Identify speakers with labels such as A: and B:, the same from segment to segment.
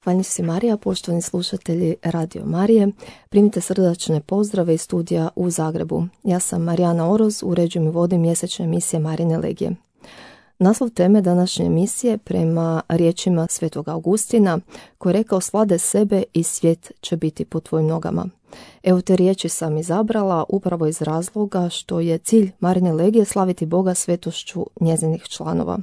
A: Hvala si Marija, poštovani slušatelji Radio Marije. Primite srdačne pozdrave iz studija u Zagrebu. Ja sam Marijana Oroz, uređujem i vodim mjesečne emisije Marijine legije. Naslov teme današnje emisije prema riječima Svetog Augustina, koji je rekao: slade sebe i svijet će biti pod tvojim nogama. Evo, te riječi sam izabrala upravo iz razloga što je cilj Marijine legije slaviti Boga svetošću njezinih članova.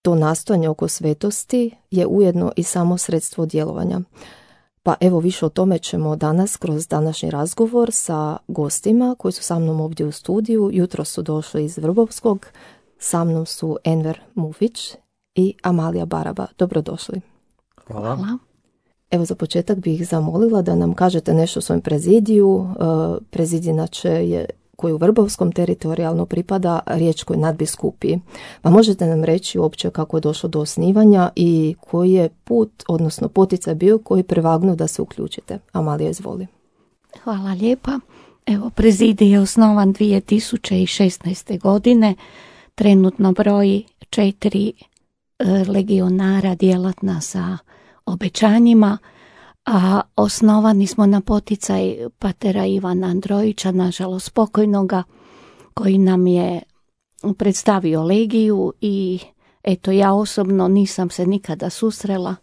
A: To nastojanje oko svetosti je ujedno i samo sredstvo djelovanja. Pa evo, više o tome ćemo danas kroz današnji razgovor sa gostima koji su sa mnom ovdje u studiju. Jutro su došli iz Vrbovskog. Sa mnom su Enver Mufić i Amalija Baraba. Dobrodošli.
B: Hvala.
A: Evo, za početak bih zamolila da nam kažete nešto o svojem prezidiju. Prezid inače je, koji u Vrbovskom teritorijalno pripada riječkoj nadbiskupiji. Pa možete nam reći uopće kako je došlo do osnivanja i koji je put, odnosno poticaj bio koji prevagnuo da se uključite. Amalija, izvoli.
B: Hvala lijepa. Evo, prezidij je osnovan 2016. godine. Trenutno broji 4 legionara djelatna sa obećanjima, a osnovani smo na poticaj patera Ivana Androjića, nažalost pokojnoga, koji nam je predstavio legiju i eto, ja osobno nisam se nikada susrela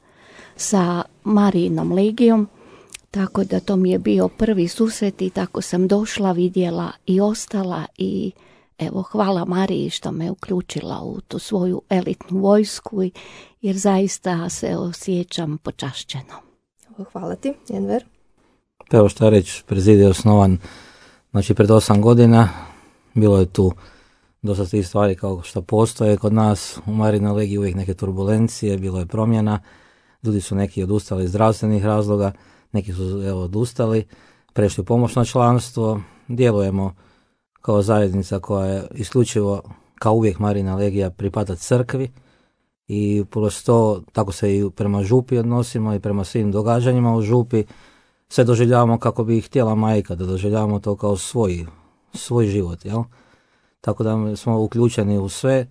B: sa Marijinom legijom, tako da to mi je bio prvi susret i tako sam došla, vidjela i ostala i evo, hvala Mariji što me uključila u tu svoju elitnu vojsku, jer zaista se osjećam počašćeno.
A: Hvala ti, Enver.
C: Evo šta reći, prezidij je osnovan pred 8 godina. Bilo je tu dosta tih stvari kao što postoje kod nas u Marijinoj legiji, uvijek neke turbulencije, bilo je promjena. Ljudi su neki odustali iz zdravstvenih razloga, neki su odustali, prešli u pomoćno članstvo. Djelujemo kao zajednica koja je isključivo, kao uvijek Marijina legija, pripada crkvi i prosto tako se i prema župi odnosimo i prema svim događanjima u župi. Sve doživljavamo kako bi htjela majka, da doživljavamo to kao svoj život, jel? Tako da smo uključeni u sve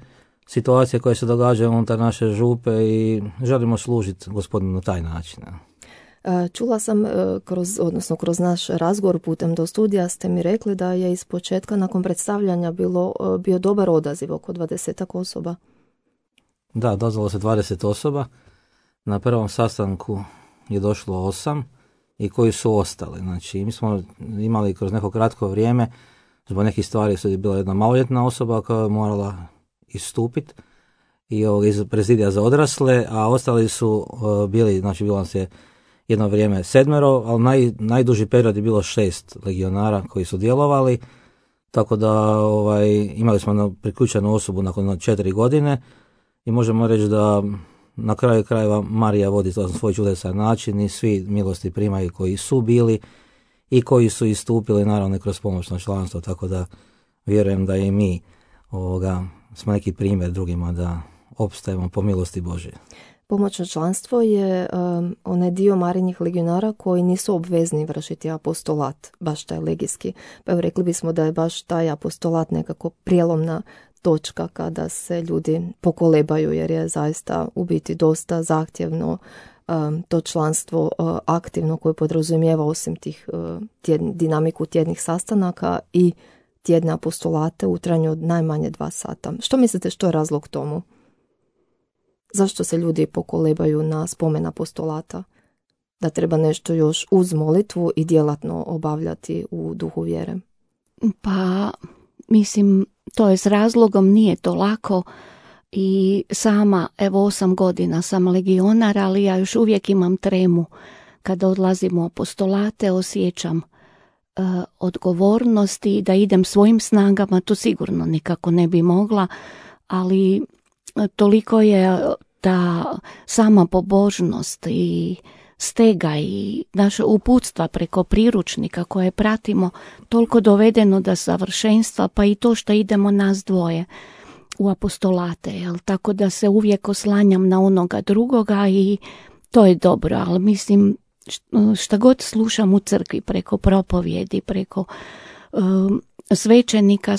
C: situacije koje se događaju unutar naše župe i želimo služiti Gospodinu na taj način.
A: Čula sam kroz naš razgovor putem do studija ste mi rekli da je iz početka nakon predstavljanja bio dobar odaziv, oko 20 osoba.
C: Da, dozvalo se 20 osoba. Na prvom sastanku je došlo 8 i koji su ostali. Znači, mi smo imali kroz neko kratko vrijeme, zbog nekih stvari su bila jedna maloljetna osoba koja je morala istupiti i iz prezidija za odrasle, a ostali su bili, znači bilo nas je jedno vrijeme 7, ali najduži period je bilo 6 legionara koji su djelovali, tako da imali smo priključenu osobu nakon 4 godine i možemo reći da na kraju krajeva Marija vodi to na svoj čudesan način i svi milosti primaju koji su bili i koji su istupili naravno kroz pomoćno članstvo, tako da vjerujem da i mi smo neki primjer drugima da opstajemo po milosti Božje.
A: Pomoćno članstvo je onaj dio Marijinih legionara koji nisu obvezni vršiti apostolat, baš taj legijski. Pa evo, rekli bismo da je baš taj apostolat nekako prijelomna točka kada se ljudi pokolebaju, jer je zaista u biti dosta zahtjevno to članstvo aktivno koje podrazumijeva osim tih dinamiku tjednih sastanaka i tjedne apostolate u trajanju od najmanje 2 sata. Što mislite, što je razlog tomu? Zašto se ljudi pokolebaju na spomen apostolata? Da treba nešto još uz molitvu i djelatno obavljati u duhu vjere?
B: Pa, mislim, to je s razlogom, nije to lako i sama, evo 8 godina sam legionar, ali ja još uvijek imam tremu. Kada odlazim u apostolate, osjećam odgovornosti da idem svojim snagama, to sigurno nikako ne bi mogla, ali toliko je ta sama pobožnost i stega i naše uputstva preko priručnika koje pratimo toliko dovedeno do savršenstva, pa i to što idemo nas dvoje u apostolate, jel? Tako da se uvijek oslanjam na onoga drugoga i to je dobro, ali mislim šta god slušam u crkvi preko propovjedi, preko svećenika,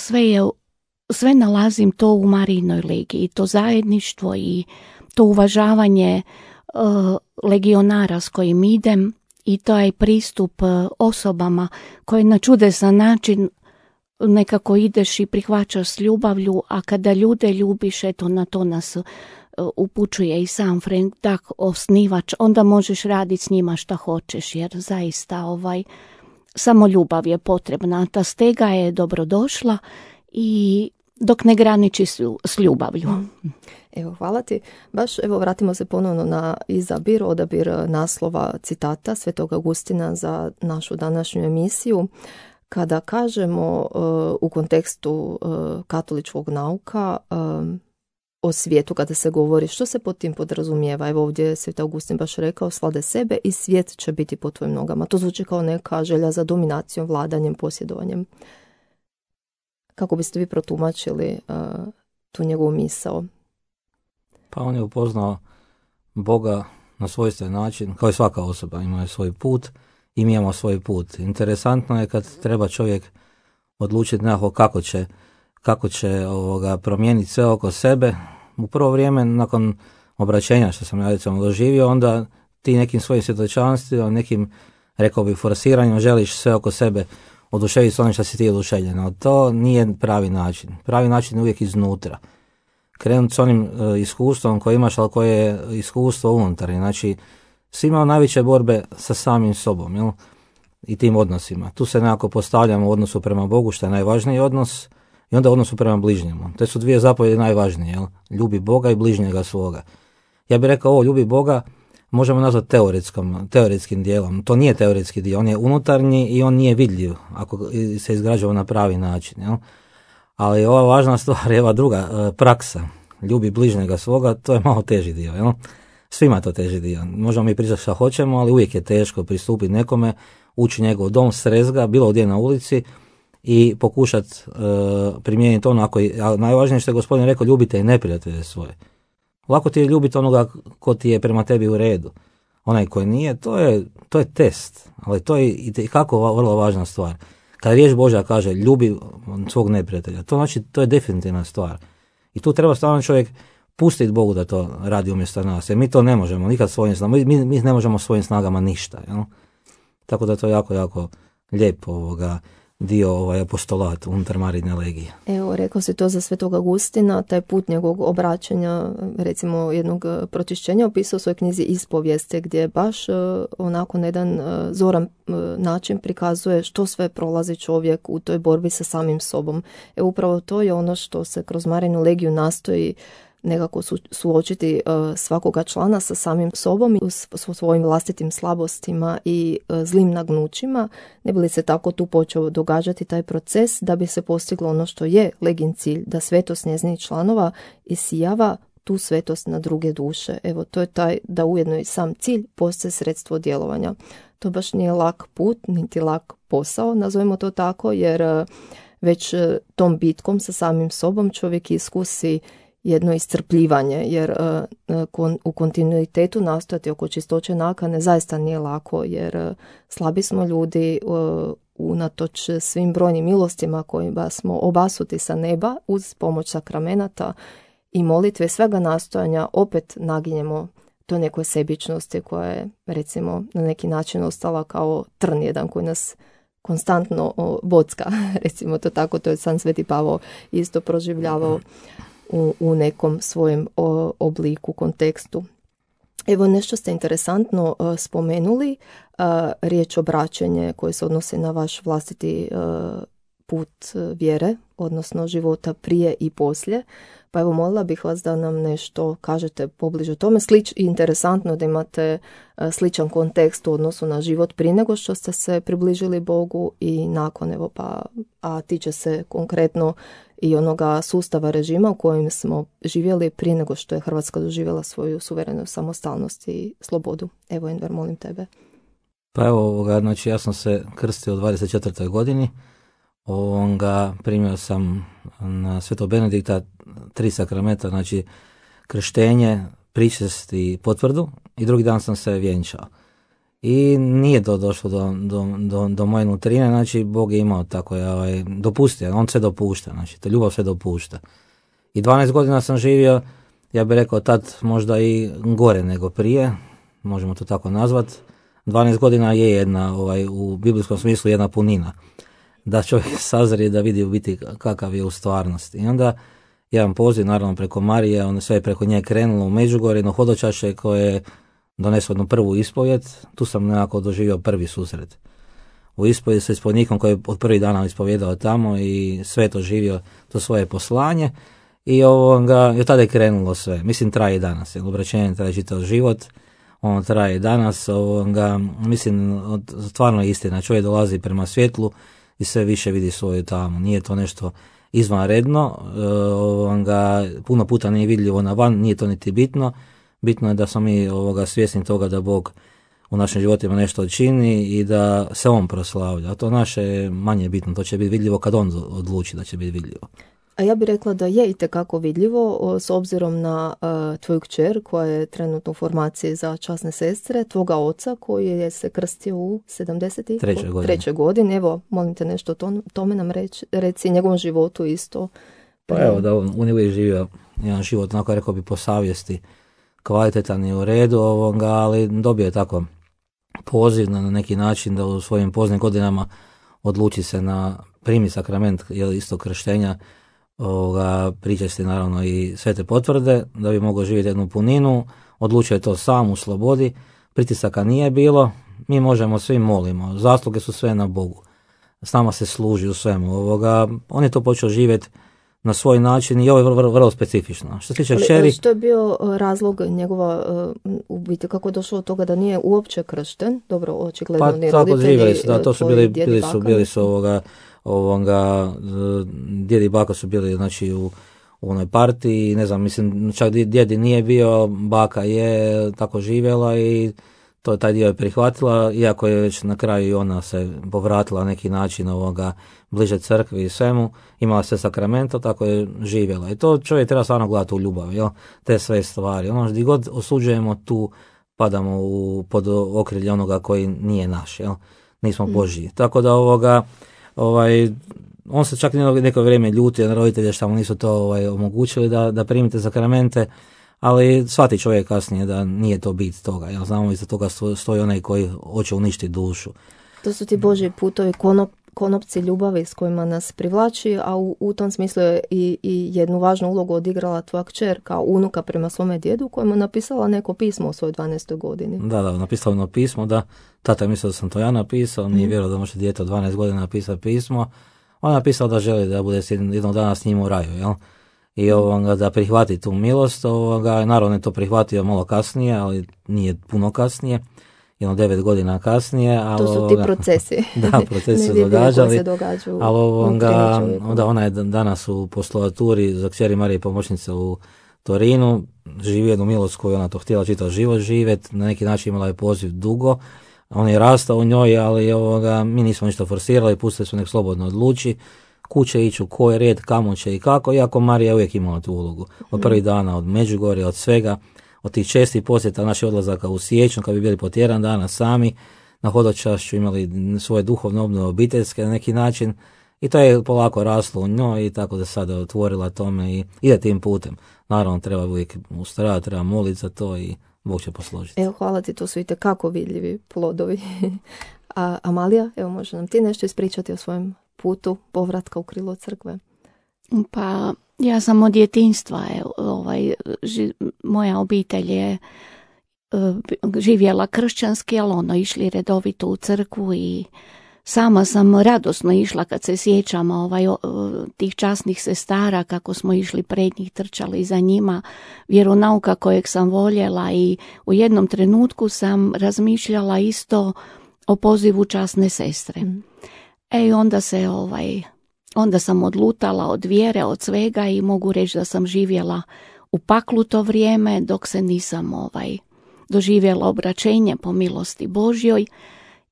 B: sve nalazim to u Marijinoj legiji, to zajedništvo i to uvažavanje legionara s kojim idem i taj pristup osobama koje na čudesan način nekako ideš i prihvaćaš s ljubavlju, a kada ljude ljubiš, eto na to nas upućuje i sam Frank Dach, osnivač, onda možeš raditi s njima šta hoćeš, jer zaista samo ljubav je potrebna. Ta stega je dobrodošla i dok ne graniči s ljubavlju.
A: Evo, hvala ti. Baš, evo, vratimo se ponovno na odabir naslova citata Svetog Augustina za našu današnju emisiju. Kada kažemo u kontekstu katoličkog nauka o svijetu, kada se govori što se pod tim podrazumijeva, evo ovdje je Sveti Augustin baš rekao, slade sebe i svijet će biti pod tvojim nogama. To zvuči kao neka želja za dominacijom, vladanjem, posjedovanjem. Kako biste vi protumačili tu njegovu misao?
C: Pa on je upoznao Boga na svojstven način, kao i svaka osoba ima svoj put i mi imamo svoj put. Interesantno je kad treba čovjek odlučiti nekako kako će promijeniti sve oko sebe. U prvo vrijeme, nakon obraćenja što sam ja recimo doživio, onda ti nekim svojim svjedočanstvima, nekim, rekao bih, forsiranjem želiš sve oko sebe oduševiti s onim što si ti oduševljen. No, to nije pravi način. Pravi način je uvijek iznutra. Krenuti s onim iskustvom koje imaš, ali koje je iskustvo unutarnje. Znači, svi imamo najveće borbe sa samim sobom, jel? I tim odnosima. Tu se nekako postavljamo u odnosu prema Bogu, što je najvažniji odnos, i onda u odnosu prema bližnjemu. Te su dvije zapovjedi najvažnije, jel? Ljubi Boga i bližnjega svoga. Ja bih rekao, ljubi Boga možemo nazvati teoretskim dijelom. To nije teoretski dio, on je unutarnji i on nije vidljiv ako se izgrađava na pravi način, jel? Ali ova važna stvar je ova druga, praksa. Ljubi bližnjega svoga, to je malo teži dio, jel? Svima to teži dio. Možemo mi pričati što hoćemo, ali uvijek je teško pristupiti nekome, ući njegov dom, srest ga, bilo gdje na ulici i pokušati primijeniti ono. Najvažnije što je gospodin rekao, ljubite i neprijatelje svoje. Lako ti je ljubiti onoga ko ti je prema tebi u redu. Onaj koji nije, to je test, ali to je i kako vrlo važna stvar. Kada riječ Božja kaže ljubi svog neprijatelja, to znači to je definitivna stvar. I tu treba stvarno čovjek pustiti Bogu da to radi umjesto nas. Jer mi to ne možemo nikad svojim snagama. Mi ne možemo svojim snagama ništa. Jel? Tako da to je jako, jako lijep dio apostolat unutar Marijine legije.
A: Evo, rekao si to za Svetog Augustina, taj put njegovog obraćanja, recimo jednog pročišćenja, opisao u svojoj knjizi Ispovijeste, gdje baš onako na jedan zoran način prikazuje što sve prolazi čovjek u toj borbi sa samim sobom. Evo, upravo to je ono što se kroz Marijinu legiju nastoji nekako suočiti svakoga člana sa samim sobom i svojim vlastitim slabostima i zlim nagnućima, ne bi li se tako tu počeo događati taj proces da bi se postiglo ono što je legin cilj, da svetost njezinih članova isijava tu svetost na druge duše. Evo, to je taj da ujedno i sam cilj postaje sredstvo djelovanja. To baš nije lak put, niti lak posao, nazovimo to tako, jer već tom bitkom sa samim sobom čovjek iskusi jedno iscrpljivanje, jer u kontinuitetu nastojati oko čistoće nakane zaista nije lako, jer slabi smo ljudi unatoč svim brojnim milostima kojima smo obasuti sa neba uz pomoć sakramenata i molitve, svega nastojanja opet naginjemo to nekoj sebičnosti koja je recimo na neki način ostala kao trn jedan koji nas konstantno bocka, recimo to tako, to je sam Sveti Pavao isto proživljavao u nekom svojem obliku, kontekstu. Evo, nešto ste interesantno spomenuli, riječ obraćanje koje se odnose na vaš vlastiti put vjere, odnosno života prije i poslije. Pa evo, molila bih vas da nam nešto kažete pobliže o tome. Interesantno da imate sličan kontekst u odnosu na život prije nego što ste se približili Bogu i nakon, evo, a tiče se konkretno i onoga sustava režima u kojem smo živjeli prije nego što je Hrvatska doživjela svoju suverenu samostalnost i slobodu. Evo, Enver, molim tebe.
C: Pa evo, znači ja sam se krstio u 24. godini. Primio sam na Svetog Benedikta 3 sakramenta, znači krštenje, pričest i potvrdu, i drugi dan sam se vjenčao. I nije to došlo do moje nutrine, znači Bog je imao tako, dopustio, on sve dopušta, znači to ljubav sve dopušta. I 12 godina sam živio ja bih rekao tad možda i gore nego prije, možemo to tako nazvati. 12 godina je jedna, u biblijskom smislu jedna punina. Da čovjek sazrije, da vidi u biti kakav je u stvarnosti. I onda jedan poziv, naravno preko Marije, on sve je preko nje krenulo u Međugorje, jedno hodočaše koje je doneslo jednu prvu ispovjed. Tu sam nekako doživio prvi susret. U ispovjedi sa ispovjednikom koji je od prvih dana ispovjedao tamo i sve to živio, to svoje poslanje. I od tada je krenulo sve. Mislim, traje i danas. Obraćenje traje čitav život. On traje i danas. Mislim, stvarno je istina. Čovjek dolazi prema svjetlu i sve više vidi svoju tamu. Nije to nešto izvanredno. Puno puta nije vidljivo na van. Nije to niti bitno. Bitno je da smo mi svjesni toga da Bog u našim životima nešto čini i da se On proslavlja. A to naše je manje bitno. To će biti vidljivo kad On odluči da će biti vidljivo.
A: A ja bih rekla da je itekako vidljivo s obzirom na tvoju kćer koja je trenutno u formaciji za časne sestre, tvoga oca koji je se krstio u 73. godini. Evo, molim te nešto tome nam reci, njegovom životu isto.
C: Pa evo, da on je uvijek živio jedan život, onako rekao bi po savjesti, kvalitetan i u redu, ali dobio je tako poziv na neki način da u svojim poznim godinama odluči se na primi sakrament isto krštenja, pričesti naravno i svete potvrde da bi mogao živjeti jednu puninu. Odlučio je to sam u slobodi, pritisaka nije bilo, mi možemo, svi molimo, zasluge su sve na Bogu, s nama se služi u svemu. On je to počeo živjeti na svoj način i ovo je vrlo specifično. Što se tiče kćeri...
A: Što je bio razlog njegova, u biti kako je došlo od toga da nije uopće kršten? Dobro, očigledno ni roditelji,
C: živjeli su, da, to su bili su djedi i baka su bili, znači, u onoj partiji, ne znam, mislim, čak djedi nije bio, baka je tako živjela i taj dio je prihvatila, iako je već na kraju i ona se povratila na neki način bliže crkvi i svemu, imala se sakramento, tako je živjela. I to čovjek treba stvarno gledati u ljubavi, jel? Te sve stvari. Gdje god osuđujemo, tu padamo pod okrilje onoga koji nije naš, jel? Nismo Božji. Tako da on se čak neko vrijeme ljutio na roditelje što mu nisu to omogućili da primite sakramente, ali shvati čovjek kasnije da nije to bit toga. Ja znamo, iza toga stoji onaj koji hoće uništiti dušu.
A: To su ti Božji putovi, konopci ljubavi s kojima nas privlači, a u tom smislu je i jednu važnu ulogu odigrala tvoja kćer kao unuka prema svome djedu, kojemu je napisala neko pismo u svojoj 12. godini. Da,
C: napisala jedno pismo, da. Tata je mislio da sam to ja napisao, nije vjerovao da može dijete od 12 godina napisati pismo. On je napisao da želi da bude jednog dana s njim u raju, jel? I da prihvati tu milost, naravno je to prihvatio malo kasnije, ali nije puno kasnije, 9 godina kasnije.
A: To su ti procesi.
C: Da, procesi se događali, ali onda ona je danas u postolaturi za kćeri Marije pomoćnice u Torinu, živi jednu milost koju ona to htjela čitav život živjeti, na neki način imala je poziv dugo, on je rastao u njoj, ali mi nismo ništa forsirali, pustili su nek slobodno odluči, kuće ići, u koji red, kamo će i kako, iako Marija uvijek imala tu ulogu. Od prvih dana, od Međugorja, od svega, od tih čestih posjeta naših odlazaka u siječnju, kad bi bili po tjedan dana sami, na hodočašću imali svoje duhovne obnove obiteljske na neki način, i to je polako raslo u njoj i tako da sada otvorila tome i ide tim putem. Naravno, treba uvijek ustrajati, treba moliti za to i Bog će posložiti.
A: Evo, hvala ti, to su itekako vidljivi plodovi. A Amalija, evo, može nam ti nešto ispričati o svojem putu povratka u krilo crkve?
B: Pa ja sam od djetinjstva, moja obitelj je živjela kršćanski, ali išli redovito u crkvu i sama sam radosno išla kad se sjećam tih časnih sestara, kako smo išli pred njih, trčali za njima, vjeronauka kojeg sam voljela, i u jednom trenutku sam razmišljala isto o pozivu časne sestre. I onda sam odlutala od vjere, od svega, i mogu reći da sam živjela u paklu to vrijeme dok se nisam doživjela obraćenje po milosti Božjoj,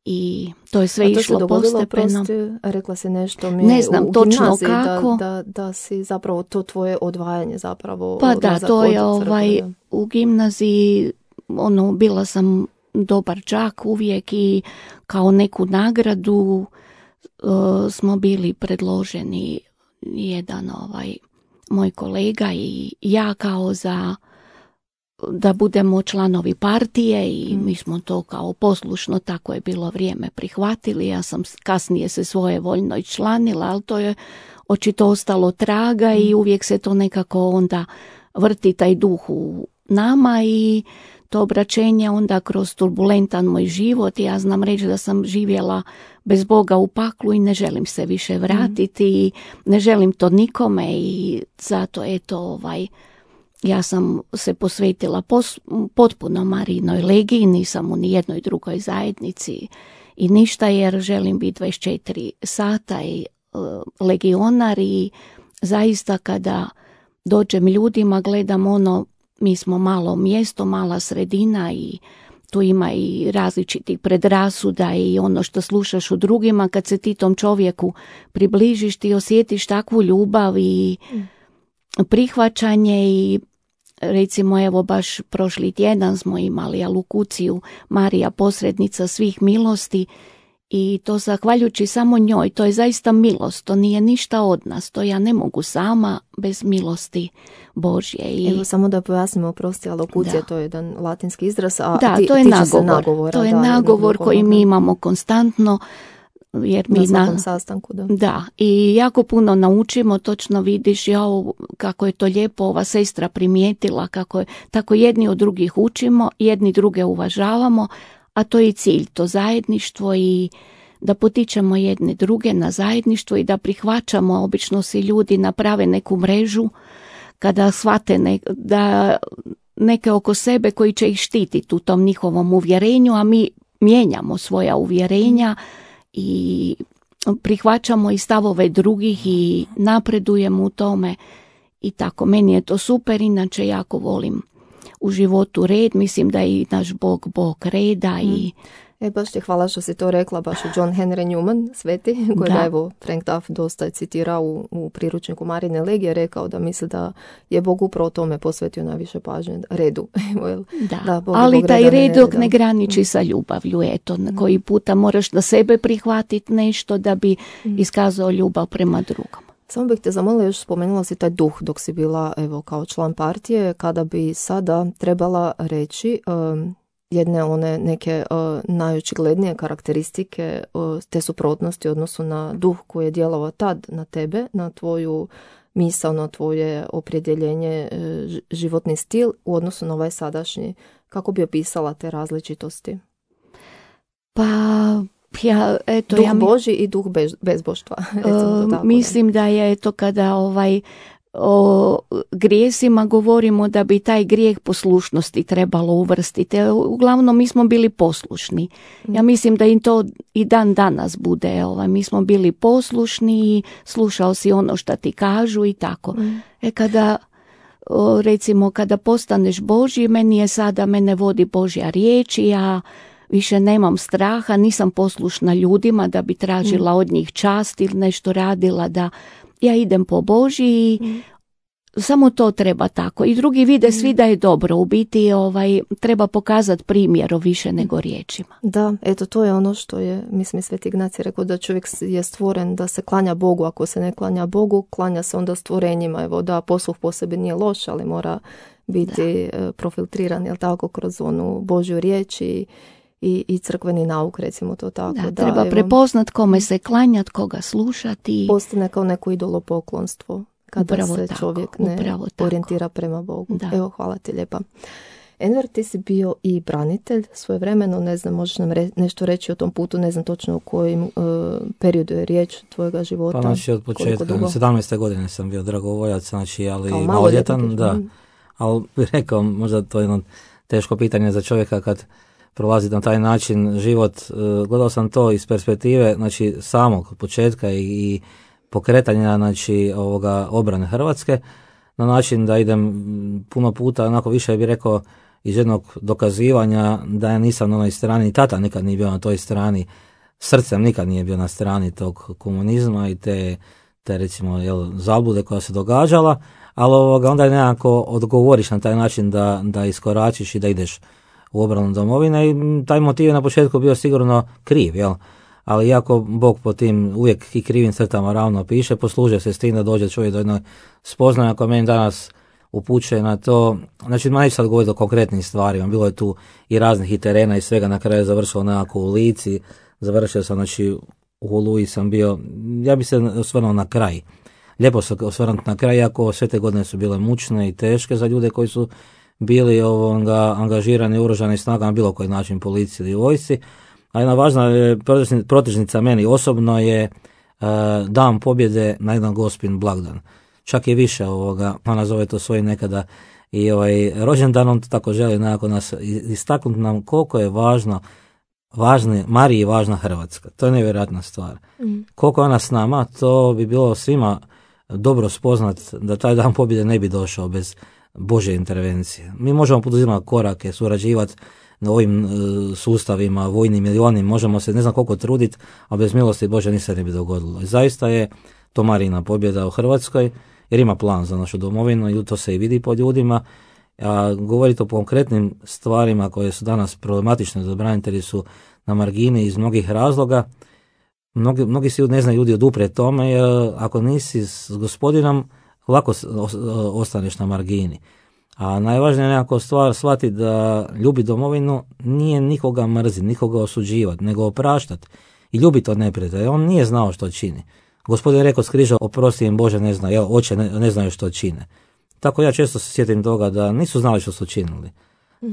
B: i to je sve išlo postepeno.
A: Rekla si nešto
B: ne znam točno kako.
A: Da si zapravo to tvoje odvajanje zapravo.
B: Pa da, to je u gimnaziji, bila sam dobar đak uvijek i kao neku nagradu smo bili predloženi jedan moj kolega i ja kao da budemo članovi partije i mi smo to kao poslušno, tako je bilo vrijeme, prihvatili. Ja sam kasnije se svojevoljno članila, ali to je očito ostalo traga i uvijek se to nekako onda vrti taj duh u nama i to obraćenje onda kroz turbulentan moj život. Ja znam reći da sam živjela bez Boga u paklu i ne želim se više vratiti i ne želim to nikome i zato eto ja sam se posvetila potpuno Marijinoj legiji, nisam u nijednoj drugoj zajednici i ništa, jer želim biti 24 sata i legionar i zaista kada dođem ljudima gledam mi smo malo mjesto, mala sredina i tu ima i različitih predrasuda i ono što slušaš u drugima, kad se ti tom čovjeku približiš ti osjetiš takvu ljubav i prihvaćanje i recimo evo baš prošli tjedan smo imali alokuciju Marija posrednica svih milosti i to zahvaljujući samo njoj, to je zaista milost, to nije ništa od nas, to ja ne mogu sama bez milosti Božje.
A: Evo samo da pojasnimo, oprosti, alokucija, to je jedan latinski izraz, a
B: to je nagovor. To je nagovor koji mi imamo konstantno, jer mi
A: na svakom sastanku,
B: da, i jako puno naučimo, točno vidiš kako je to lijepo ova sestra primijetila, kako je, tako jedni od drugih učimo, jedni druge uvažavamo, a to je cilj, to zajedništvo i da potičemo jedne druge na zajedništvo i da prihvaćamo, obično si ljudi naprave neku mrežu kada shvate da neke oko sebe koji će ih štititi u tom njihovom uvjerenju, a mi mijenjamo svoja uvjerenja i prihvaćamo i stavove drugih i napredujemo u tome i tako. Meni je to super, inače jako volim u životu red, mislim da je i naš Bog reda i
A: baš ti hvala što si to rekla, baš je John Henry Newman, sveti, kojega evo Frank Duff dosta je citirao u priručniku Marijine legije, rekao da misli da je Bog upravo tome posvetio najviše pažnje, redu.
B: Ali taj red dok ne graniči sa ljubavlju, eto, koji puta moraš na sebe prihvatiti nešto da bi iskazao ljubav prema drugom.
A: Samo bih te zamolila, još spomenula si taj duh dok si bila evo kao član partije, kada bi sada trebala reći jedne one neke najočiglednije karakteristike te suprotnosti u odnosu na duh koji je djelovao tad na tebe, na tvoju misao, na tvoje opredjeljenje, životni stil u odnosu na ovaj sadašnji. Kako bi opisala te različitosti? Duh Božji i duh bezboštva.
B: Mislim da je to kada o grijesima govorimo da bi taj grijeh poslušnosti trebalo uvrstiti. Uglavnom mi smo bili poslušni. Ja mislim da im to i dan danas bude. Mi smo bili poslušni i slušao si ono što ti kažu i tako. Kada recimo kada postaneš Božji, mene vodi Božja riječ i ja više nemam straha, nisam poslušna ljudima da bi tražila od njih čast ili nešto radila, da ja idem po Božji i samo to treba tako. I drugi vide svi da je dobro. U biti treba pokazati primjerom više nego riječima.
A: Da, eto to je ono što je, mislim, Sveti Ignacij rekao da čovjek je stvoren da se klanja Bogu. Ako se ne klanja Bogu, klanja se onda stvorenjima. Evo da posluh po sebi nije loš, ali mora biti profiltriran, jel tako, kroz onu Božju riječ i crkveni nauk, recimo to tako.
B: Treba prepoznat kome se klanjati, koga slušati.
A: Postane kao neko idolopoklonstvo kada
B: upravo
A: se
B: tako,
A: čovjek ne orijentira prema Bogu. Evo, hvala ti lijepa. Enver, ti si bio i branitelj svojevremeno, ne znam, možeš nam nešto reći o tom putu, ne znam točno u kojim periodu je riječ tvojega života.
C: Pa znači od početka, 17. godine sam bio dragovoljac, znači, ali maloljetan, da. Ali bih rekao, možda to je jedno teško pitanje za čovjeka kad prolazi na taj način život. Gledao sam to iz perspektive, znači, samog početka i pokretanja, znači, obrane Hrvatske, na način da idem puno puta, onako više bih rekao, iz jednog dokazivanja da ja nisam na onoj strani, tata nikad nije bio na toj strani, srcem nikad nije bio na strani tog komunizma i te recimo zablude koja se događala, ali onda je nekako odgovoriš na taj način da iskoračiš i da ideš u obranu domovine i taj motiv je na početku bio sigurno kriv, ali iako Bog po tim uvijek i krivim crtama ravno piše, posluže se s tim da dođe čovjek do jednog spoznaja koja meni danas upućuje na to. Znači, neću sad govoriti o konkretnim stvarima, bilo je tu i raznih i terena i svega, na kraju je završilo nekako u Lici, završio sam, znači u Oluji sam bio, ja bi se osvrnuo na kraj. Lijepo se osvrnuti na kraj, iako sve te godine su bile mučne i teške za ljude koji su bili angažirani u oružanim snagama, bilo koji način, policiji ili vojsci. A jedna važna protežnica meni osobno je Dan pobjede na jedan Gospin blagdan. Čak i više ona zove to svojim nekada i rođendan, on tako želi nekako nas istaknuti nam koliko je Mariji važna Hrvatska. To je nevjerojatna stvar. Koliko ona s nama, to bi bilo svima dobro spoznat da taj Dan pobjede ne bi došao bez Božje intervencije. Mi možemo poduzimati korake, surađivati na ovim sustavima, vojnim ili onim, možemo se ne znam koliko truditi, a bez milosti Bože ništa ne bi dogodilo. I zaista je to Marijina pobjeda u Hrvatskoj, jer ima plan za našu domovinu i to se i vidi po ljudima. A govoriti o konkretnim stvarima koje su danas problematične za branitelji su na margini iz mnogih razloga. Mnogi si ne znaju ljudi oduprijeti tome, jer ako nisi s Gospodinom, lako ostaneš na margini. A najvažnija je nekako stvar shvatiti da ljubi domovinu nije nikoga mrziti, nikoga osuđivati, nego opraštati i ljubiti od neprijatelja. On nije znao što čini. Gospodin je rekao s križa, oprosti im Bože, ne znaju, oče ne znaju što čine. Tako ja često se sjetim toga da nisu znali što su činili.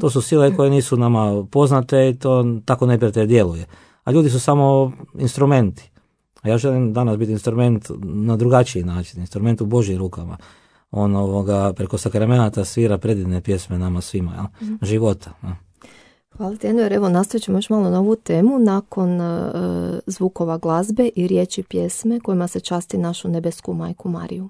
C: To su sile koje nisu nama poznate i to tako neprijatelj djeluje. A ljudi su samo instrumenti. A ja želim danas biti instrument na drugačiji način, instrument u Božjim rukama. On preko sakramenata svira predivne pjesme nama svima, života.
A: Hvala ti, Enver. Evo, nastavit ćemo još malo na ovu temu nakon zvukova glazbe i riječi pjesme kojima se časti našu nebesku majku Mariju.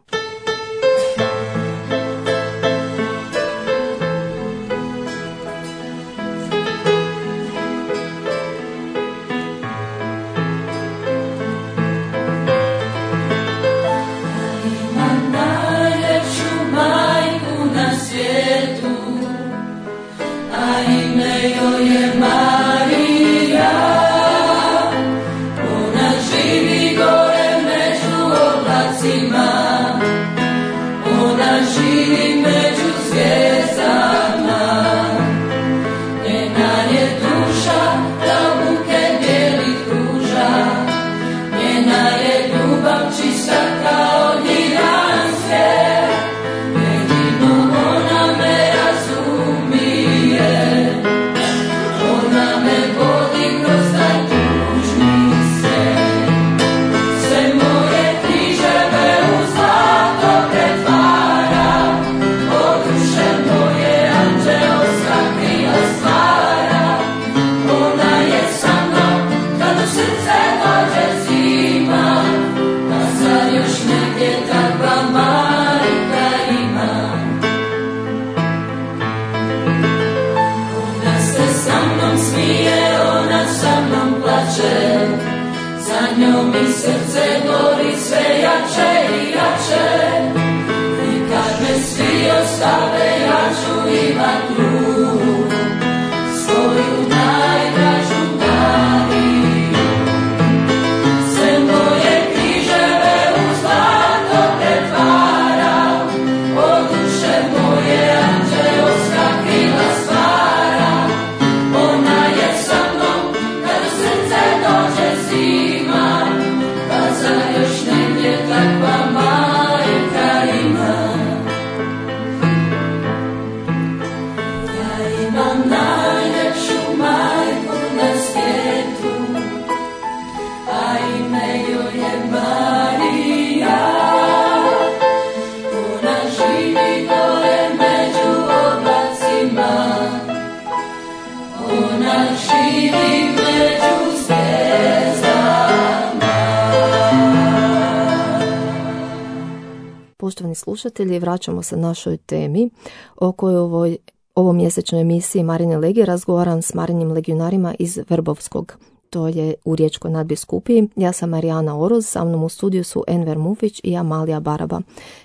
A: Poštovani slušatelji, vraćamo se našoj temi o kojoj ovoj mjesečnoj emisiji Marijine legije razgovaram s Marijinim legionarima iz Vrbovskog. To je u Riječkoj nadbiskupiji. Ja sam Marijana Oroz, sa mnom u studiju su Enver Mufić i Amalija Baraba.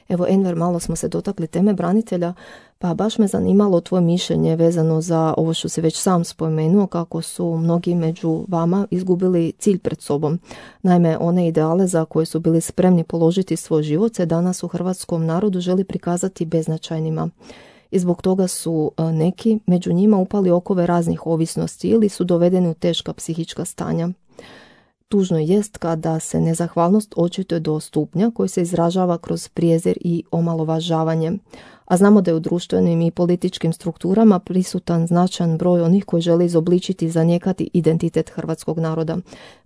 A: Evo, Enver, malo smo se dotakli teme branitelja, Pa baš me zanimalo tvoje mišljenje vezano za ovo što si već sam spomenuo, kako su mnogi među vama izgubili cilj pred sobom. Naime, one ideale za koje su bili spremni položiti svoj život se danas u hrvatskom narodu želi prikazati beznačajnima. I zbog toga su neki među njima upali okove raznih ovisnosti ili su dovedeni u teška psihička stanja. Tužno jest kada se nezahvalnost očituje do stupnja koji se izražava kroz prijezir i omalovažavanje. A znamo da je u društvenim i političkim strukturama prisutan značajan broj onih koji žele izobličiti i zanijekati identitet hrvatskog naroda.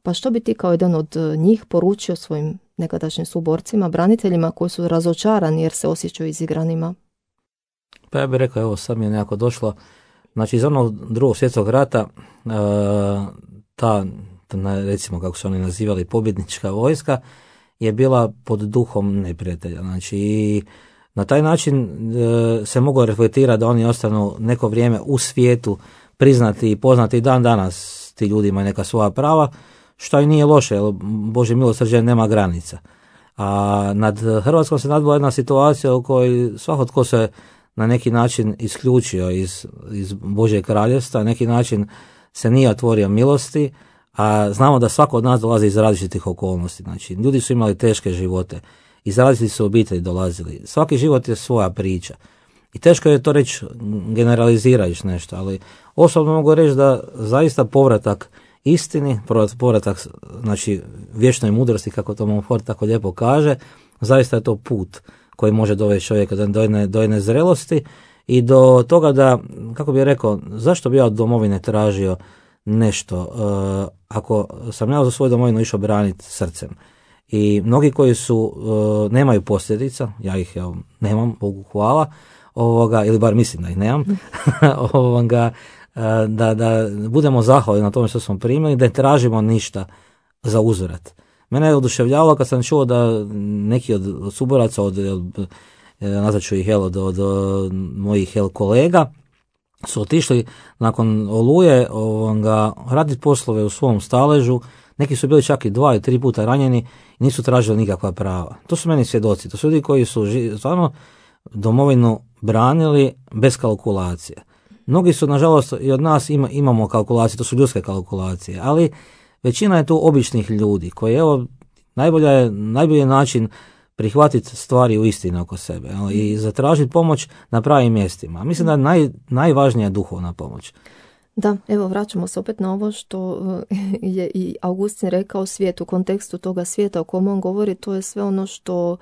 A: Pa što bi ti kao jedan od njih poručio svojim nekadašnjim suborcima, braniteljima koji su razočarani jer se osjećaju izigranima?
C: Pa ja bih rekao, evo sad mi je nekako došlo, znači iz onog Drugog svjetskog rata ta recimo kako su oni nazivali pobjednička vojska je bila pod duhom neprijatelja. Znači i na taj način se moglo reflektirati da oni ostanu neko vrijeme u svijetu priznati i poznati dan danas, ti ljudi imaju neka svoja prava, što i nije loše, jer Božje milosrđe nema granica. A nad Hrvatskom se nadvila jedna situacija u kojoj svako tko se na neki način isključio iz Božjeg kraljevstva, na neki način se nije otvorio milosti, a znamo da svako od nas dolazi iz različitih okolnosti. Znači, ljudi su imali teške živote, iz različitih su obitelji dolazili. Svaki život je svoja priča. I teško je to reći generalizirajući nešto, ali osobno mogu reći da zaista povratak istini, povratak znači vječnoj mudrosti, kako to Montfort tako lijepo kaže, zaista je to put koji može dovesti čovjeka do jedne zrelosti i do toga da, kako bih rekao, zašto bi ja od domovine tražio nešto, ako sam ja za svoju domovinu išao braniti srcem. I mnogi koji nemaju posljedica, ja ih nemam, Bogu hvala, ili bar mislim da ih nemam, da budemo zahvalni na tome što smo primili, da ne tražimo ništa za uzvrat. Mene je oduševljavalo kad sam čuo da neki od suboraca, nazvat ću ih od mojih kolega, su otišli nakon Oluje raditi poslove u svom staležu. Neki su bili čak i 2 i 3 puta ranjeni i nisu tražili nikakva prava. To su meni svjedoci, to su ljudi koji su stvarno domovinu branili bez kalkulacije. Mnogi su, nažalost, i od nas imamo kalkulacije, to su ljudske kalkulacije, ali većina je tu običnih ljudi koji, najbolji način prihvatiti stvari u istini oko sebe i zatražiti pomoć na pravim mjestima. Mislim da je najvažnija duhovna pomoć.
A: Da, evo vraćamo se opet na ovo što je i Augustin rekao, svijet u kontekstu toga svijeta o kom on govori, to je sve ono što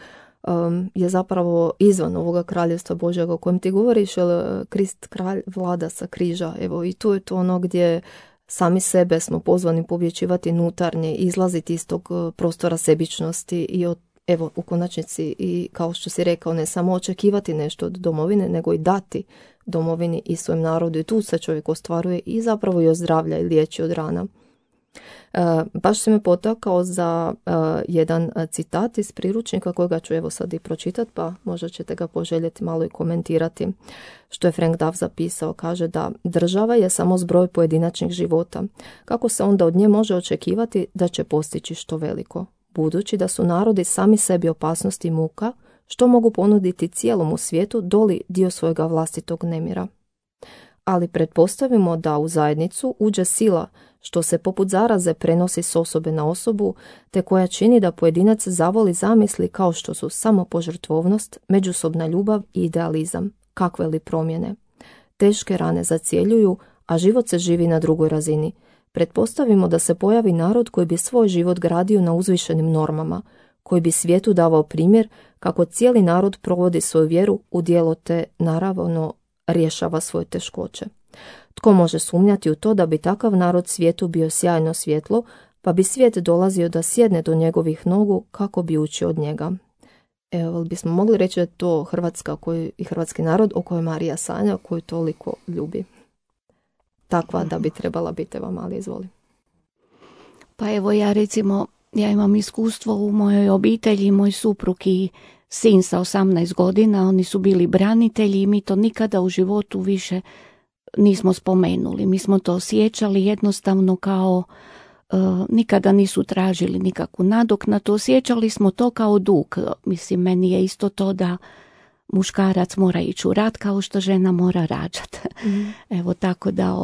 A: je zapravo izvan ovoga kraljevstva Božjega o kojem ti govoriš, jer Krist kralj vlada sa križa, evo i tu je to ono gdje sami sebe smo pozvani pobjeđivati nutarnje, izlaziti iz tog prostora sebičnosti i evo u konačnici i kao što si rekao, ne samo očekivati nešto od domovine, nego i dati domovini i svojem narodu, i tu se čovjek ostvaruje i zapravo i ozdravlja i liječi od rana. Baš se me potakao za jedan citat iz priručnika kojega ću evo sad i pročitati, pa možda ćete ga poželjeti malo i komentirati. Što je Frank Duff zapisao, kaže da država je samo zbroj pojedinačnih života. Kako se onda od nje može očekivati da će postići što veliko? Budući da su narodi sami sebi opasnosti i muka, što mogu ponuditi cijelom svijetu doli dio svojega vlastitog nemira. Ali pretpostavimo da u zajednicu uđe sila što se poput zaraze prenosi s osobe na osobu, te koja čini da pojedinac zavoli zamisli kao što su samopožrtvovnost, međusobna ljubav i idealizam. Kakve li promjene? Teške rane zacjeljuju, a život se živi na drugoj razini. Pretpostavimo da se pojavi narod koji bi svoj život gradio na uzvišenim normama, koji bi svijetu davao primjer kako cijeli narod provodi svoju vjeru u djelo te naravno rješava svoje teškoće. Tko može sumnjati u to da bi takav narod svijetu bio sjajno svjetlo, pa bi svijet dolazio da sjedne do njegovih nogu kako bi učio od njega. Evo, bismo mogli reći da je to Hrvatska i hrvatski narod o kojoj Marija sanja, koju toliko ljubi. Takva da bi trebala biti, evo mali, izvoli.
B: Pa evo ja imam iskustvo u mojoj obitelji, moj suprug i sin sa 18 godina, oni su bili branitelji i mi to nikada u životu više nismo spomenuli. Mi smo to osjećali jednostavno kao nikada nisu tražili nikakvu nadoknadu, osjećali smo to kao dug. Mislim, meni je isto to da muškarac mora ići u rat kao što žena mora rađati. Evo tako da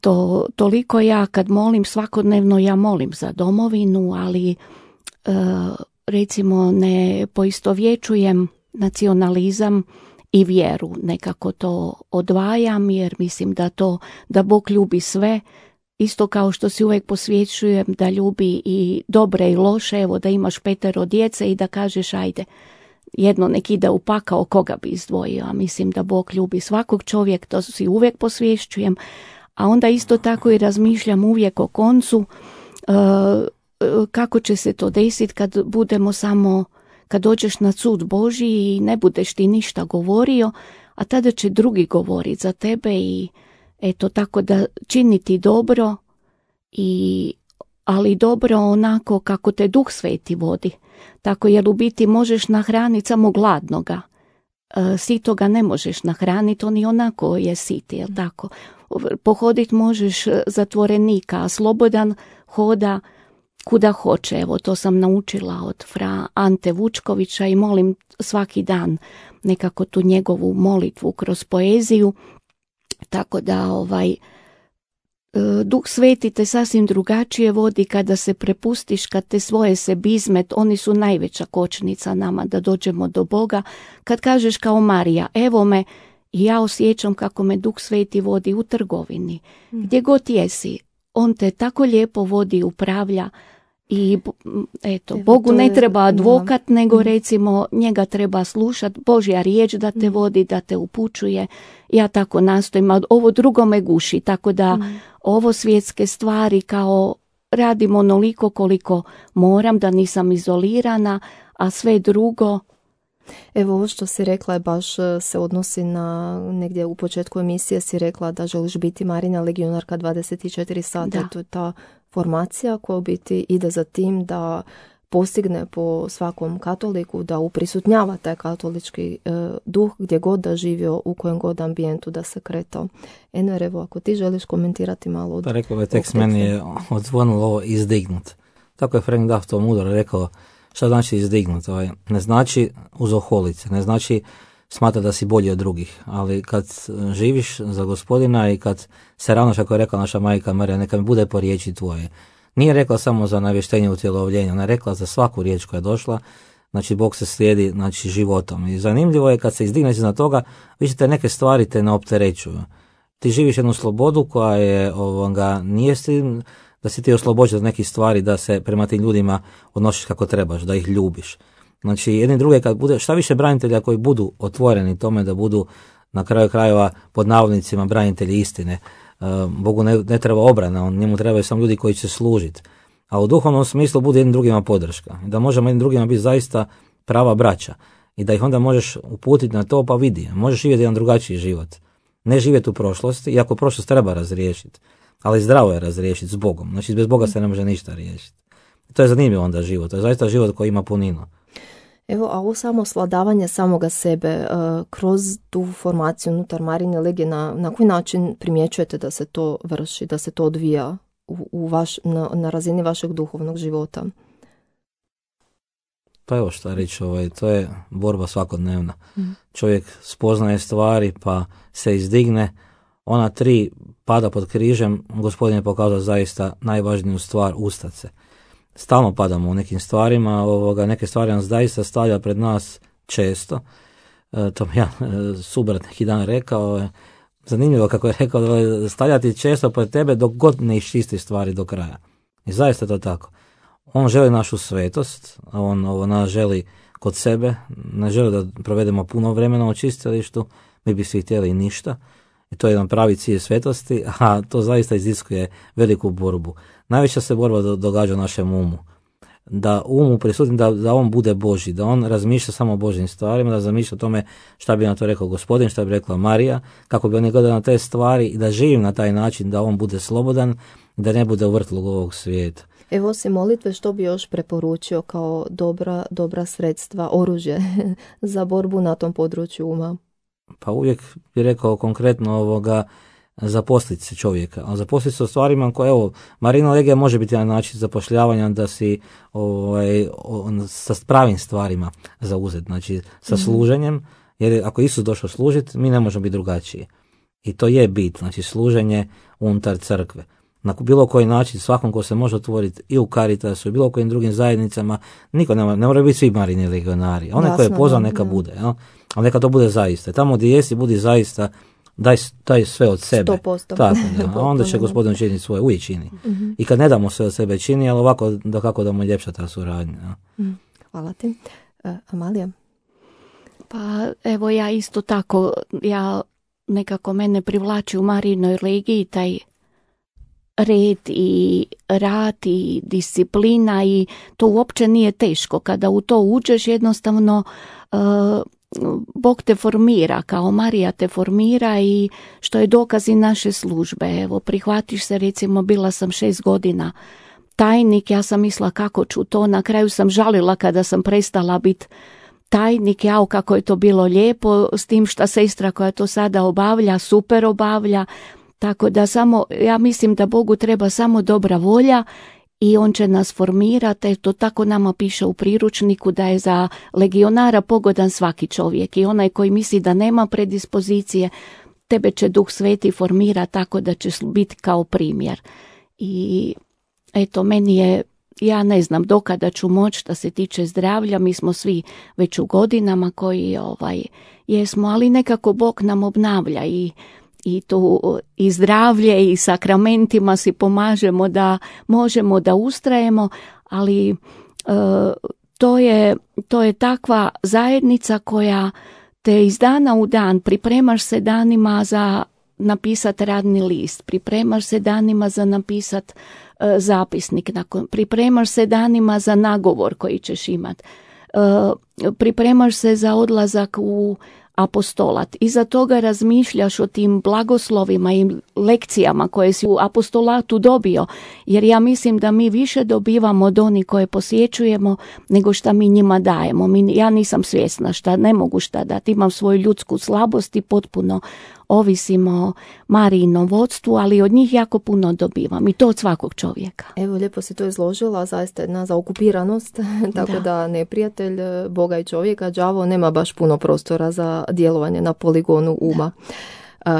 B: to toliko ja kad molim svakodnevno, ja molim za domovinu, ali recimo ne poistovjećujem nacionalizam i vjeru, nekako to odvajam jer mislim da Bog ljubi sve, isto kao što si uvijek posvjećujem da ljubi i dobre i loše, evo da imaš 5 djece i da kažeš ajde, jedno nek ide u pakao, koga bi izdvojio, a mislim da Bog ljubi svakog čovjeka, to si uvijek posvješćujem, a onda isto tako i razmišljam uvijek o koncu, kako će se to desiti kad budemo samo, kad dođeš na sud Božji i ne budeš ti ništa govorio, a tada će drugi govoriti za tebe i eto tako da činiti dobro, ali dobro onako kako te Duh Sveti vodi. Tako jer u biti možeš nahraniti samo gladnoga. Sitoga ne možeš nahraniti, on i onako je sit, jel tako? Pohoditi možeš zatvorenika, a slobodan hoda kuda hoće. Evo to sam naučila od fra Ante Vučkovića i molim svaki dan nekako tu njegovu molitvu kroz poeziju. Tako da Duh Sveti te sasvim drugačije vodi kada se prepustiš, kad te svoje sebizmet, oni su najveća kočnica nama da dođemo do Boga. Kad kažeš kao Marija, evo me, i ja osjećam kako me Duh Sveti vodi u trgovini. Gdje god jesi, on te tako lijepo vodi i upravlja. I eto, Bogu ne treba advokat, nego recimo njega treba slušati, Božja riječ da te vodi, da te upućuje. Ja tako nastojim, a ovo drugo me guši, tako da ovo svjetske stvari kao radim onoliko koliko moram, da nisam izolirana, a sve drugo.
A: Evo ovo što si rekla je baš se odnosi na negdje u početku emisije si rekla da želiš biti Marina legionarka 24 sata. To je ta formacija koja u biti ide za tim da postigne po svakom katoliku da uprisutnjava taj katolički duh gdje god da živio, u kojem god ambijentu da se kretao. Enver, evo ako ti želiš komentirati malo od...
C: Pa rekao ovaj tekst meni je odzvonilo ovo izdignut. Tako je Frank Duff to mudro rekao. Šta znači izdignut? Ne znači uzoholit se, ne znači smatra da si bolji od drugih, ali kad živiš za Gospodina i kad se ravnaš, kako je rekla naša majka Marija, neka mi bude po riječi tvoje. Nije rekla samo za navještenje utjelovljenja, ona je rekla za svaku riječ koja je došla, znači Bog se slijedi životom. I zanimljivo je kad se izdigneš iznad toga, više te neke stvari te ne opterećuju. Ti živiš jednu slobodu koja je, nije da si ti oslobođen od nekih stvari, da se prema tim ljudima odnosiš kako trebaš, da ih ljubiš. Znači, jedni druge, kad bude, šta više branitelja koji budu otvoreni tome da budu na kraju krajeva pod navodnicima branitelji istine. Bogu ne treba obrana, njemu trebaju samo ljudi koji će služiti. A u duhovnom smislu bude jednim drugima podrška. Da možemo jednim drugima biti zaista prava braća. I da ih onda možeš uputiti na to, pa vidi, možeš živjeti jedan drugačiji život. Ne živjeti u prošlosti, iako prošlost treba razriješiti. Ali zdravo je razriješiti s Bogom. Znači, bez Boga se ne može ništa riješiti. To je zanimljivo onda život. To je zaista život koji ima puninu.
A: Evo, a ovo samo svladavanje samoga sebe kroz tu formaciju unutar Marine legije, na koji način primjećujete da se to vrši, da se to odvija na razini vašeg duhovnog života?
C: Pa evo šta reći, to je borba svakodnevna. Čovjek spoznaje stvari pa se izdigne. Ona 3 pada pod križem, Gospodin je pokazao zaista najvažniju stvar, ustat se. Stalno padamo u nekim stvarima, neke stvari nas zaista stavlja pred nas često. To mi ja subrat neki dan rekao, zanimljivo kako je rekao, da stavljati često pred tebe dok god ne iščisti stvari do kraja. I zaista to tako. On želi našu svetost, on nas želi kod sebe, ne želi da provedemo puno vremena u čistilištu, mi bi svi htjeli ništa. I to je jedan pravi cilj svetosti, a to zaista iziskuje veliku borbu. Najveća se borba događa u našem umu. Da umu prisutni, da on bude Božji, da on razmišlja samo o Božjim stvarima, da razmišlja o tome šta bi na to rekao Gospodin, šta bi rekla Marija, kako bi oni gledali na te stvari i da živim na taj način, da on bude slobodan, da ne bude u vrtlogu ovog svijeta.
A: Evo, osim molitve, što bi još preporučio kao dobra sredstva, oružje za borbu na tom području uma?
C: Pa uvijek bi rekao konkretno zaposliti se čovjeka, ali zaposliti se u stvarima koje, evo, Marina Legija može biti jedan način zapošljavanja da si sa pravim stvarima zauzet, znači sa služenjem, jer ako Isus došao služiti, mi ne možemo biti drugačiji. I to je bit, znači služenje unutar crkve. Na bilo koji način, svakom ko se može otvoriti i u Caritasu i bilo kojim drugim zajednicama, niko ne mora biti svi Marini legionari. Onaj ko je pozvan neka bude, jel? Ali neka to bude zaista. Tamo gdje jesi, budi zaista, daj sve od sebe.
A: 100%.
C: Tako, a onda će Gospodin činiti svoje, uvijek čini. I kad ne damo sve od sebe čini, ali ovako da mu ljepša ta suradnja.
A: Hvala ti. Amalija?
B: Pa evo ja isto tako, nekako mene privlači u Marinoj legiji taj red i rad i disciplina i to uopće nije teško. Kada u to uđeš jednostavno Bog te formira, kao Marija te formira i što je dokaz i naše službe. Evo, prihvatiš se, recimo, bila sam 6 godina tajnik, ja sam mislila kako ću to, na kraju sam žalila kada sam prestala biti tajnik, kako je to bilo lijepo, s tim što sestra koja to sada obavlja, super obavlja, tako da ja mislim da Bogu treba samo dobra volja i on će nas formirati. To tako nama piše u priručniku da je za legionara pogodan svaki čovjek i onaj koji misli da nema predispozicije, tebe će Duh Sveti formirati tako da će biti kao primjer. I eto, meni je, ja ne znam dokada ću moći što se tiče zdravlja, mi smo svi već u godinama koji jesmo, ali nekako Bog nam obnavlja i tu i zdravlje i sakramentima si pomažemo da možemo da ustrajemo, ali to je takva zajednica koja te iz dana u dan, pripremaš se danima za napisati radni list, pripremaš se danima za napisati zapisnik, pripremaš se danima za nagovor koji ćeš imati, pripremaš se za odlazak u apostolat. Iza toga razmišljaš o tim blagoslovima i lekcijama koje si u apostolatu dobio, jer ja mislim da mi više dobivamo od onih koje posjećujemo nego šta mi njima dajemo. Ja nisam svjesna šta, ne mogu šta dati, imam svoju ljudsku slabost i potpuno ovisim o Marijinom vodstvu, ali od njih jako puno dobivam i to od svakog čovjeka.
A: Evo, lijepo si to izložila, zaista jedna zaokupiranost, tako da neprijatelj Boga i čovjeka, đavo, nema baš puno prostora za djelovanje na poligonu uma.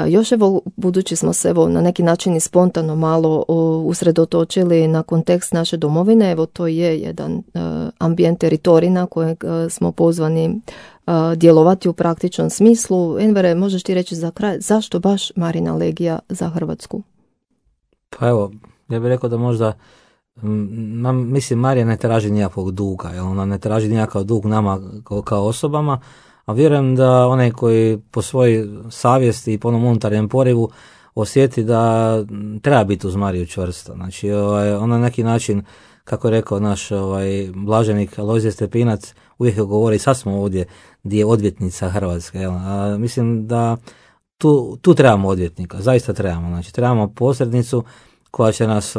A: Još evo, budući smo se na neki način i spontano malo usredotočili na kontekst naše domovine, evo to je jedan ambijent teritorij na kojeg smo pozvani djelovati u praktičnom smislu. Envere, možeš ti reći za kraj, zašto baš Marina legija za Hrvatsku?
C: Pa evo, ja bih rekao da možda, mislim, Marija ne traži nijakvog duga, jer ona ne traži nijakav dug nama kao osobama, a vjerujem da onaj koji po svojoj savjesti i po onom unutarnjem porivu osjeti da treba biti uz Mariju čvrsto. Znači, ona na neki način, kako je rekao naš blaženik Alojzije Stepinac, uvijek govori, sad smo ovdje gdje je odvjetnica Hrvatske. Mislim da tu trebamo odvjetnika, zaista trebamo. Znači, trebamo posrednicu koja će nas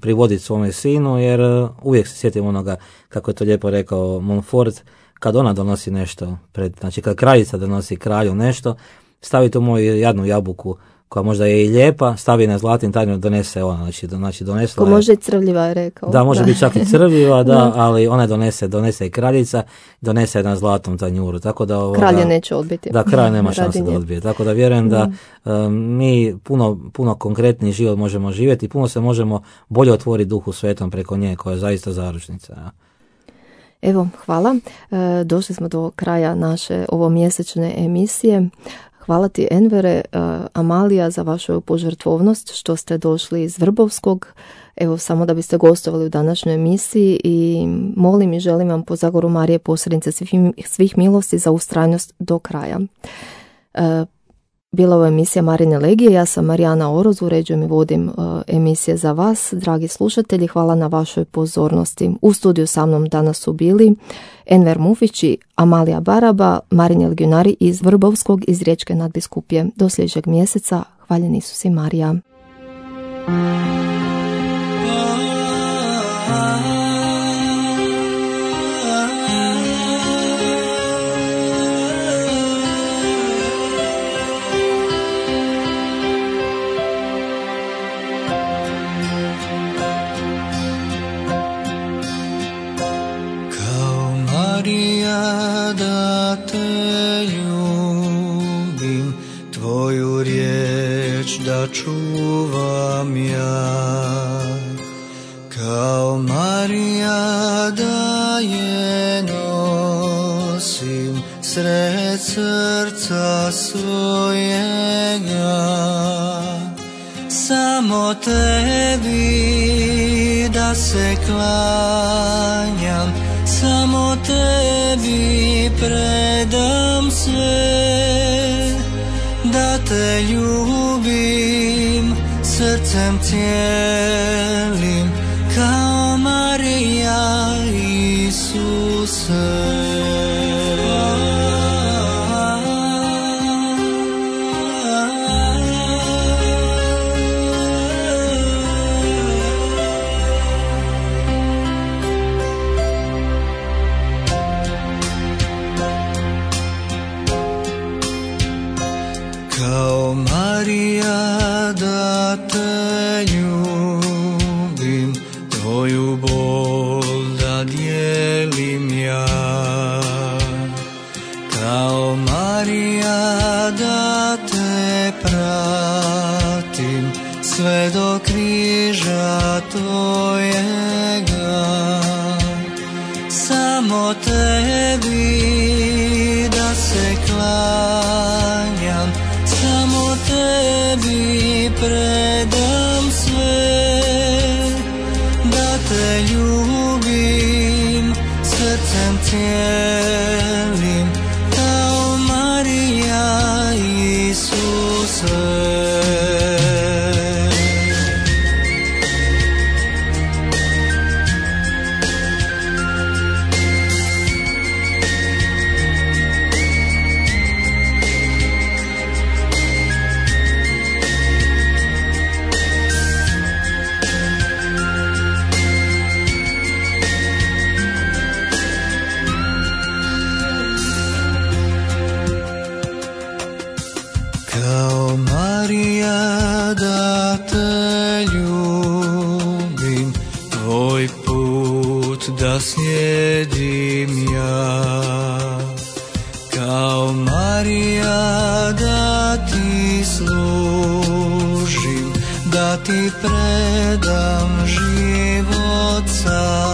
C: privoditi svome sinu, jer uvijek se sjetimo onoga, kako je to lijepo rekao Montfort, kad ona donosi nešto, znači kad kraljica donosi kralju nešto, stavi tu moju jadnu jabuku koja možda je i lijepa, stavi na zlatni tanjur, donese ona, znači donesla
A: ko može i crvljiva je rekao.
C: Da, može biti čak i crvljiva, ali ona donese i kraljica, donese na zlatnom tanjuru, tako da
A: kralje neće odbiti.
C: Da, kralj nema šanse da odbije, tako da vjerujem da mi puno konkretniji život možemo živjeti i puno se možemo bolje otvoriti Duhu Svetom preko nje, koja je zaista zaručnica. Ja.
A: Evo, hvala. Došli smo do kraja naše ovomjesečne emisije. Hvala ti, Envere, Amalija, za vašu požrtvovnost što ste došli iz Vrbovskog. Evo, samo da biste gostovali u današnjoj emisiji i molim i želim vam po zagoru Marije posrednice svih milosti za ustrajnost do kraja. Bila je emisija Marine legije, ja sam Marijana Oroz, uređujem i vodim emisije za vas. Dragi slušatelji, hvala na vašoj pozornosti. U studiju sa mnom danas su bili Enver Mufić i Amalija Baraba, Marini legionari iz Vrbovskog, iz Riječke nadbiskupije. Do sljedećeg mjeseca, hvaljen Isus i Marija.
D: da te ljubim, tvoju riječ da čuvam ja. Kao Marija da je nosim sred srca svojega, samo tebi da se klanjam, samo tebi predam sve, da te ljubim srcem cijelim, kao Marija Isuse. Kao Marija da te ljubim, tvoju bol da dijelim ja. Kao Marija da te pratim sve do križa tvojega, samo tebi da se klanjam, samo tebi predam sve, da te ljubim srcem cijelim, kao Marija Isuse. Kao Marija da te ljubim, tvoj put da slijedim ja. Kao Marija da ti služim, da ti predam život sam.